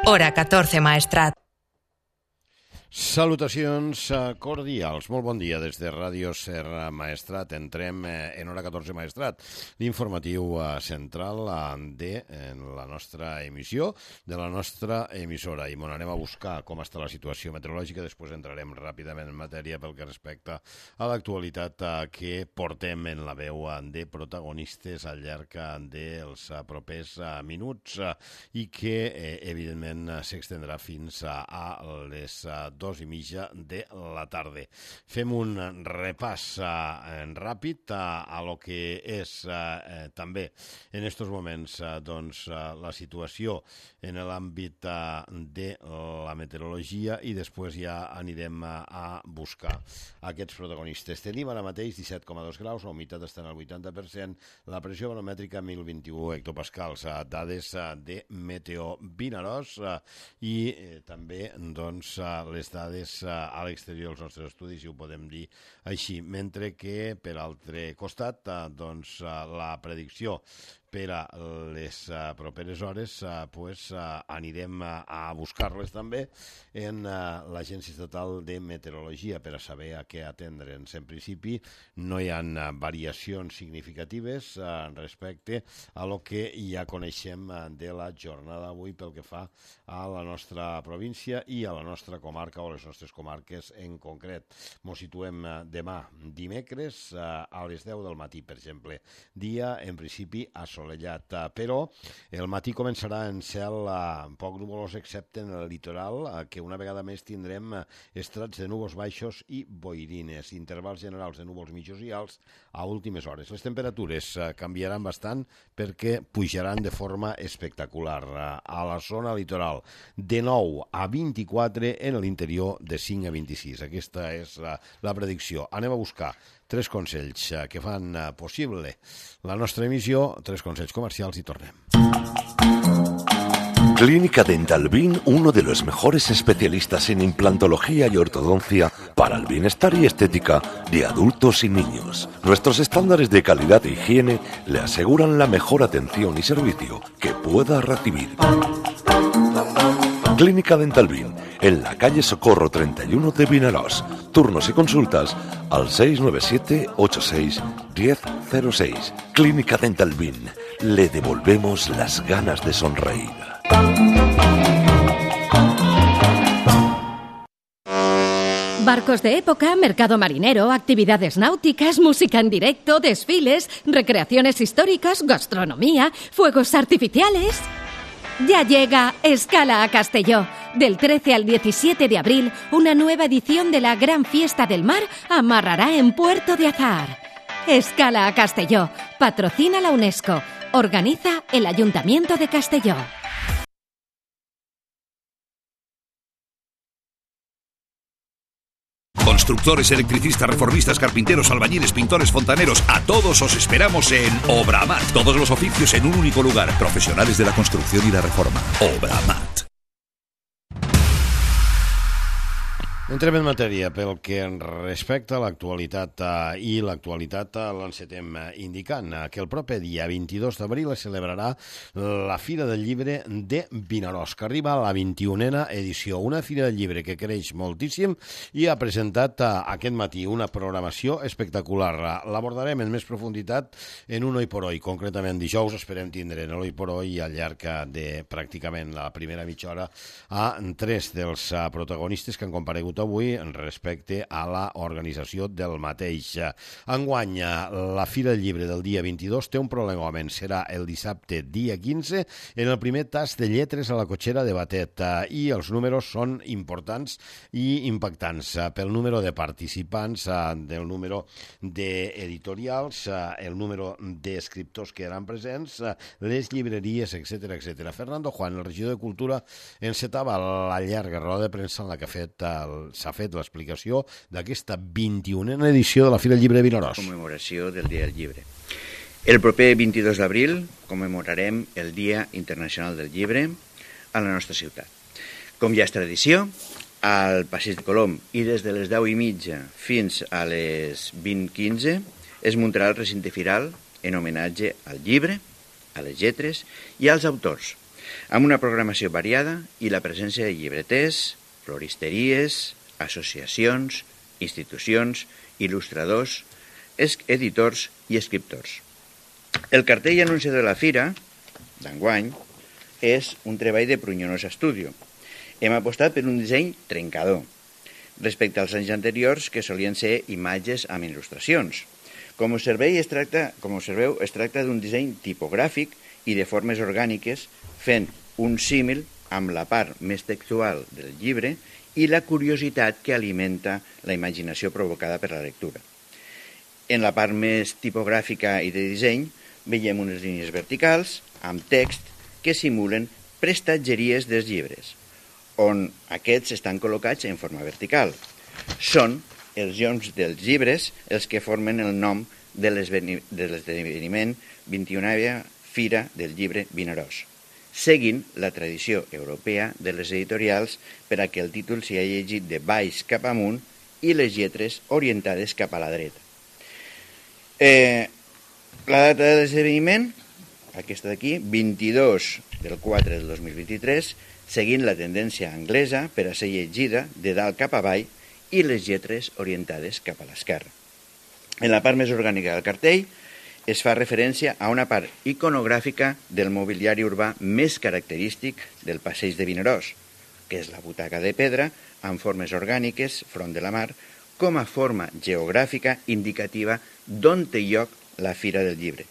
Hora 14 Maestrat. Salutacions cordials, molt bon dia des de Ràdio Serra Maestrat. Entrem en Hora 14 Maestrat, l'informatiu central en la nostra emissió, de la nostra emissora. I anem a buscar com està la situació meteorològica, després entrarem ràpidament en matèria pel que respecta a l'actualitat que portem en la veu de protagonistes al llarg dels propers minuts i que evidentment s'extendrà fins a les 2:30 de la tarda. Fem un repàs ràpid a lo que és també en aquests moments la situació en l'àmbit de la meteorologia i després ja anirem a buscar aquests protagonistes. Tenim ara mateix 17,2 graus, la humitat està en el 80%, la pressió baromètrica 1021 hectopascals, dades de Meteo Vinaròs i també les dades a l'exterior dels nostres estudis, si ho podem dir així, mentre que per altre costat la predicció per a les properes hores anirem a buscar-les també en l'Agència Estatal de Meteorologia per a saber a què atendre'ns. En principi no hi ha variacions significatives respecte a lo que ja coneixem de la jornada d'avui pel que fa a la nostra província i a la nostra comarca o les nostres comarques en concret. Ens situem demà dimecres a les 10 del matí, per exemple. Dia, en principi, assolellat, però el matí començarà en cel poc nuvolós, excepte en el litoral, que una vegada més tindrem estrats de núvols baixos i boirines, intervals generals de núvols mitjos i alts a últimes hores. Les temperatures canviaran bastant perquè pujaran de forma espectacular. A la zona litoral, de 9 a 24, en l'interior de 5 a 26. Aquesta és la predicció. Anem a buscar 3 consells que fan possible la nostra emissió, 3 consells comercials i tornem. Clínica Dental Bin, uno de los mejores especialistas en implantología y ortodoncia para el bienestar y estética de adultos y niños. Nuestros estándares de calidad e higiene le aseguran la mejor atención y servicio que pueda recibir. Clínica Dental Bin, en la calle Socorro 31 de Vinaròs. Turnos y consultas al 697-86-1006. Clínica Dental Bin, le devolvemos las ganas de sonreír. Barcos de época, mercado marinero, actividades náuticas, música en directo, desfiles, recreaciones históricas, gastronomía, fuegos artificiales. Ya llega Escala a Castelló. Del 13 al 17 de abril, una nueva edición de la Gran Fiesta del Mar amarrará en Puerto de Azahar. Escala a Castelló. Patrocina la UNESCO. Organiza el Ayuntamiento de Castelló. Constructores, electricistas, reformistas, carpinteros, albañiles, pintores, fontaneros, a todos os esperamos en Obramat. Todos los oficios en un único lugar. Profesionales de la construcción y la reforma. Obramat. Entrem en matèria pel que respecta a l'actualitat i l'actualitat l'encetem indicant que el proper dia 22 d'abril es celebrarà la Fira del Llibre de Vinaròs, que arriba a la 21a edició. Una Fira del Llibre que creix moltíssim i ha presentat aquest matí una programació espectacular. L'abordarem en més profunditat en un Oi por Oi. Concretament dijous esperem tindre en l'Oi por Oi al llarg de pràcticament la primera mitja hora a 3 dels protagonistes que han comparegut avui respecte a la organització del mateix. Enguany, la Fira del Llibre del dia 22 té un prolongament. Serà el dissabte, dia 15, en el primer tast de lletres a la cotxera de Batet. I els números són importants i impactants pel número de participants, del número d'editorials, el número d'escriptors que eren presents, les llibreries, etc. Fernando Juan, el regidor de Cultura, encetava la llarga roda de premsa en la que s'ha fet l'explicació d'aquesta 21a edició de la Fira del Llibre de Vinaròs. Commemoració del Dia del Llibre. El proper 22 d'abril commemorarem el Dia Internacional del Llibre a la nostra ciutat. Com ja és tradició, al Passeig de Colom i des de les 10:30 fins a les 20:15 es muntarà el recinte firal en homenatge al llibre, a les lletres i als autors. amb una programació variada i la presència de llibreters, floristeries, associacions, institucions, il·lustradors, editors i escriptors. El cartell anunciador de la fira, d'enguany, és un treball de Pruñonosa Studio. Hem apostat per un disseny trencador, respecte als anys anteriors, que solien ser imatges amb il·lustracions. Com observeu, es tracta d'un disseny tipogràfic i de formes orgàniques, fent un símil amb la part més textual del llibre i la curiositat que alimenta la imaginació provocada per la lectura. En la part més tipogràfica i de disseny veiem unes línies verticals amb text que simulen prestatgeries dels llibres, on aquests estan col·locats en forma vertical. Són els lloms dels llibres els que formen el nom de l'esdeveniment 21a Fira del Llibre Vinaròs, seguint la tradició europea de les editorials per a que el títol sigui llegit de baix cap amunt i les lletres orientades cap a la dreta. La data de l'esdeveniment, aquesta d'aquí, 22 del 4 del 2023, seguint la tendència anglesa per a ser llegida de dalt cap avall i les lletres orientades cap a l'esquerra. En la part més orgànica del cartell es fa referència a una part iconogràfica del mobiliari urbà més característic del passeig de Vinaròs, que és la butaca de pedra amb formes orgàniques front de la mar, com a forma geogràfica indicativa d'on té lloc la Fira del Llibre,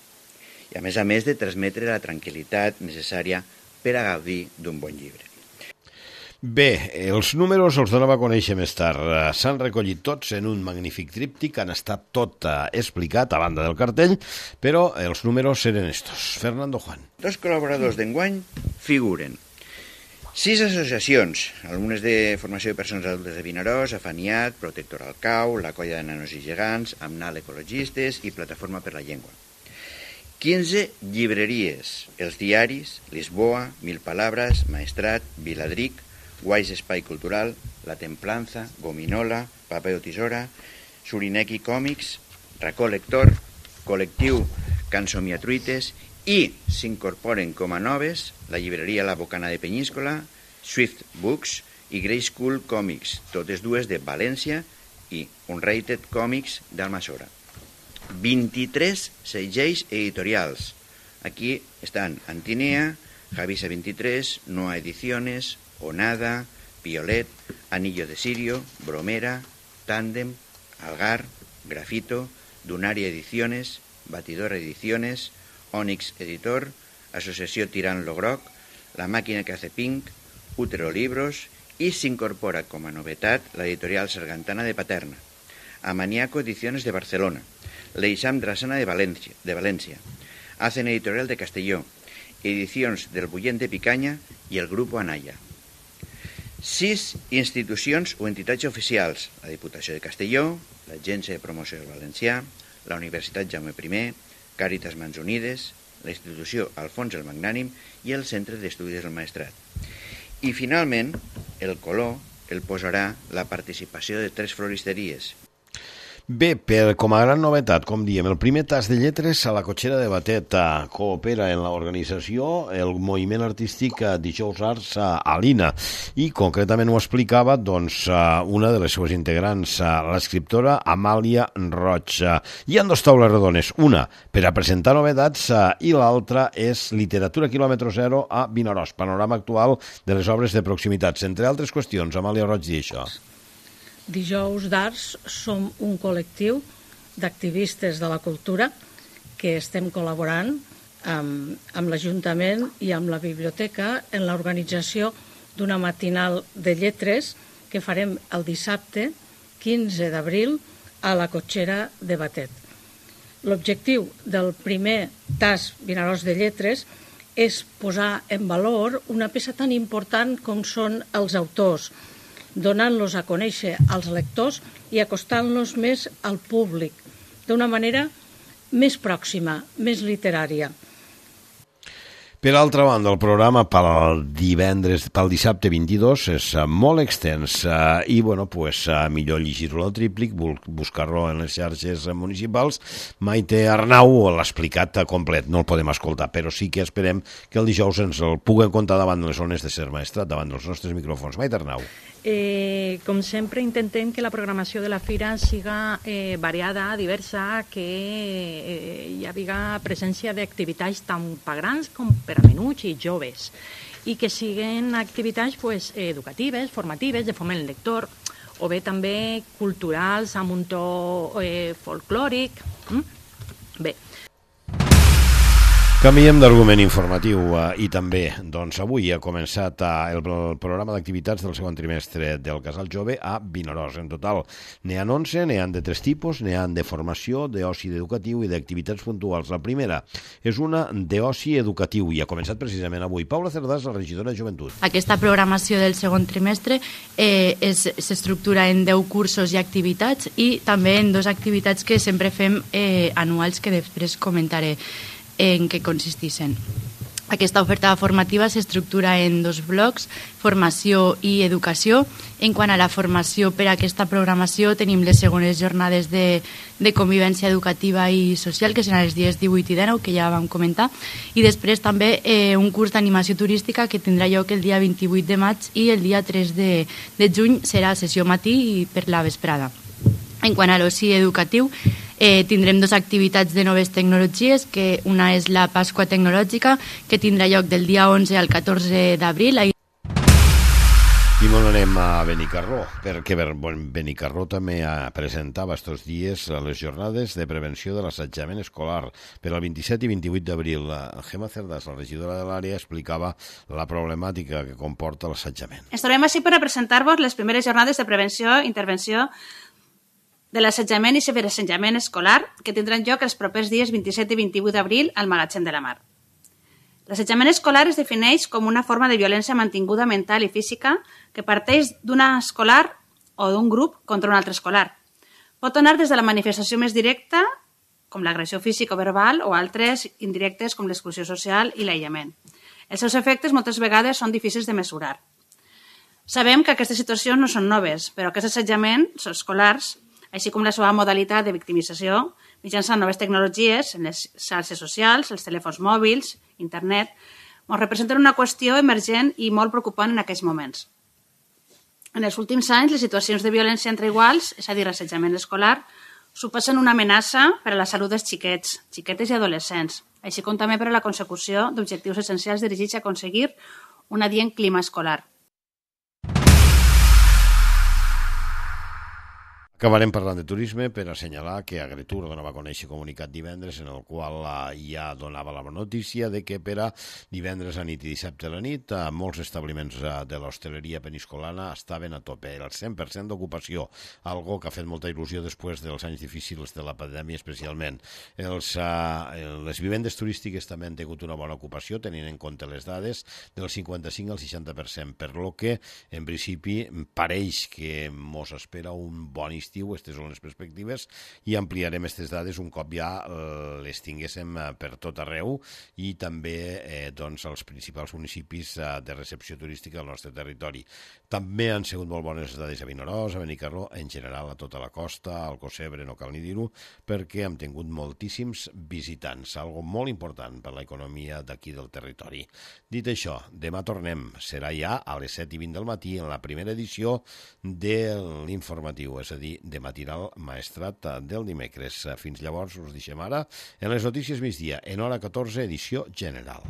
i a més de transmetre la tranquil·litat necessària per a gaudir d'un bon llibre. Bé, els números els donava a conèixer més tard. S'han recollit tots en un magnífic tríptic, han estat tot explicat a banda del cartell, però els números eren estos. Fernando Juan. Dos col·laboradors d'enguany figuren 6 associacions, algunes de formació de persones adultes de Vinaròs, Afaniat, Protector al Cau, la Colla de Nanos i Gegants, Amnal Ecologistes i Plataforma per la Llengua. 15 llibreries, els diaris, Lisboa, Mil Palabras, Maestrat, Viladric, Guais Espai Cultural, La Templanza, Gominola, Papel Tisora, Surineki Còmics, Racó Lector, Col·lectiu Cansomiatruites i s'incorporen com a noves la llibreria La Bocana de Penyíscola, Swift Books i Grey School Comics, totes dues de València, i Unrated Comics d'Almassora. 23 segells editorials. Aquí estan Antinea, Javisa 23, Noa Ediciones, Onada, Piolet, Anillo de Sirio, Bromera, Tándem, Algar, Grafito, Dunaria Ediciones, Batidora Ediciones, Onyx Editor, Asociació Tirant lo Groc, La Màquina que hace Pink, Útero Libros i s'incorpora com a novetat l'editorial Sargantana de Paterna, Amaniaco Ediciones de Barcelona, l'Eixam Drassana de València, Hacen Editorial de Castelló, Edicions del Bullent de Picanya i el Grupo Anaya. 6 institucions o entitats oficials, la Diputació de Castelló, l'Agència de Promoció del Valencià, la Universitat Jaume I, Càritas Mans Unides, la institució Alfons el Magnànim i el Centre d'Estudis del Maestrat. I finalment, el color el posarà la participació de 3 floristeries. Bé, com a gran novetat, com diem, el primer tas de lletres a la Cotxera de Batet coopera en l'organització el moviment artístic Dijous Arts a l'INA i concretament ho explicava doncs, una de les seues integrants, l'escriptora Amàlia Roig. Hi ha 2 taules redones, una per a presentar novetats i l'altra és Literatura quilòmetre zero a Vinaròs, panorama actual de les obres de proximitats. Entre altres qüestions, Amàlia Roig diu això. Dijous d'Arts som un col·lectiu d'activistes de la cultura que estem col·laborant amb l'Ajuntament i amb la Biblioteca en l'organització d'una matinal de lletres que farem el dissabte 15 d'abril a la Cotxera de Batet. L'objectiu del primer tas Vinaròs de Lletres és posar en valor una peça tan important com són els autors, donant-los a conèixer als lectors i acostant-los més al públic, d'una manera més pròxima, més literària. Per altra banda, el programa pel dissabte 22 és molt extens i, bueno, pues, millor llegir-lo al tríplic, buscar-lo en les xarxes municipals. Maite Arnau l'ha explicat complet, no el podem escoltar, però sí que esperem que el dijous ens el puguen contar davant de les zones de Ser Maestrat, davant dels nostres micròfons. Maite Arnau. Com sempre, intentem que la programació de la fira siga variada, diversa, que hi hagi presència d'activitats tant per grans com per a menuts i joves, i que siguin activitats educatives, formatives, de foment lector, o bé també culturals amb un to folclòric. Bé. Canviem d'argument informatiu i també, doncs, avui ha començat el programa d'activitats del segon trimestre del Casal Jove a Vinaròs. En total n'hi ha 11, n'hi ha de 3 tipus, n'hi ha de formació, d'oci educatiu i d'activitats puntuals. La primera és una d'oci educatiu i ha començat precisament avui. Paula Cerdàs, la regidora de Joventut. Aquesta programació del segon trimestre s'estructura en 10 cursos i activitats i també en 2 activitats que sempre fem anuals que després comentaré en què consisteixen. Aquesta oferta formativa s'estructura en 2 blocs, formació i educació. En quant a la formació, per a aquesta programació tenim les segones jornades de convivència educativa i social, que seran els dies 18 i 19, que ja vam comentar, i després també un curs d'animació turística que tindrà lloc el dia 28 de maig i el dia 3 de juny serà sessió matí i per la vesprada. En quant a l'oci educatiu, tindrem 2 activitats de noves tecnologies, que una és la Pasqua Tecnològica, que tindrà lloc del dia 11 al 14 d'abril. I molt anem a Benicarló, perquè Benicarló també presentava estos dies les jornades de prevenció de l'assetjament escolar. Per al 27 i 28 d'abril, Gemma Cerdàs, la regidora de l'àrea, explicava la problemàtica que comporta l'assetjament. Ens trobem així per a presentar-vos les primeres jornades de prevenció i intervenció de l'assetjament i ciberassetjament escolar que tindran lloc els propers dies 27 i 28 d'abril al Magatzem de la Mar. L'assetjament escolar es defineix com una forma de violència mantinguda mental i física que parteix d'una escolar o d'un grup contra un altre escolar. Pot anar des de la manifestació més directa, com l'agressió física o verbal, o altres indirectes com l'exclusió social i l'aïllament. Els seus efectes moltes vegades són difícils de mesurar. Sabem que aquestes situacions no són noves, però aquests assetjaments escolars, així com la seva modalitat de victimització, mitjançant noves tecnologies, en les xarxes socials, els telèfons mòbils, internet, ens representen una qüestió emergent i molt preocupant en aquells moments. En els últims anys, les situacions de violència entre iguals, és a dir, l'assetjament escolar, suposen una amenaça per a la salut dels xiquets, xiquetes i adolescents, així com també per a la consecució d'objectius essencials dirigits a aconseguir un adient clima escolar. Acabarem parlant de turisme per assenyalar que Agritur donava a conèixer comunicat divendres en el qual ja donava la notícia de que per a divendres a nit i dissabte a la nit molts establiments de l'hostaleria peniscolana estaven a tope, el 100% d'ocupació, algo que ha fet molta il·lusió després dels anys difícils de la pandèmia especialment. Les vivendes turístiques també han tingut una bona ocupació, tenint en compte les dades del 55 al 60%, per lo que en principi pareix que mos espera un bon estiu. Aquestes són les perspectives i ampliarem aquestes dades un cop ja les tinguéssim per tot arreu i també als principals municipis de recepció turística del nostre territori. També han sigut molt bones dades a Vinaròs, a Benicarló, en general a tota la costa, al Cosebre, no cal ni dir-ho, perquè hem tingut moltíssims visitants, algo molt important per a l'economia d'aquí del territori. Dit això, demà tornem, serà ja a les 7:20 del matí en la primera edició de l'informatiu, és a dir, de matinal Maestrat del dimecres. Fins llavors us deixem ara en les notícies migdia, en hora 14, edició general.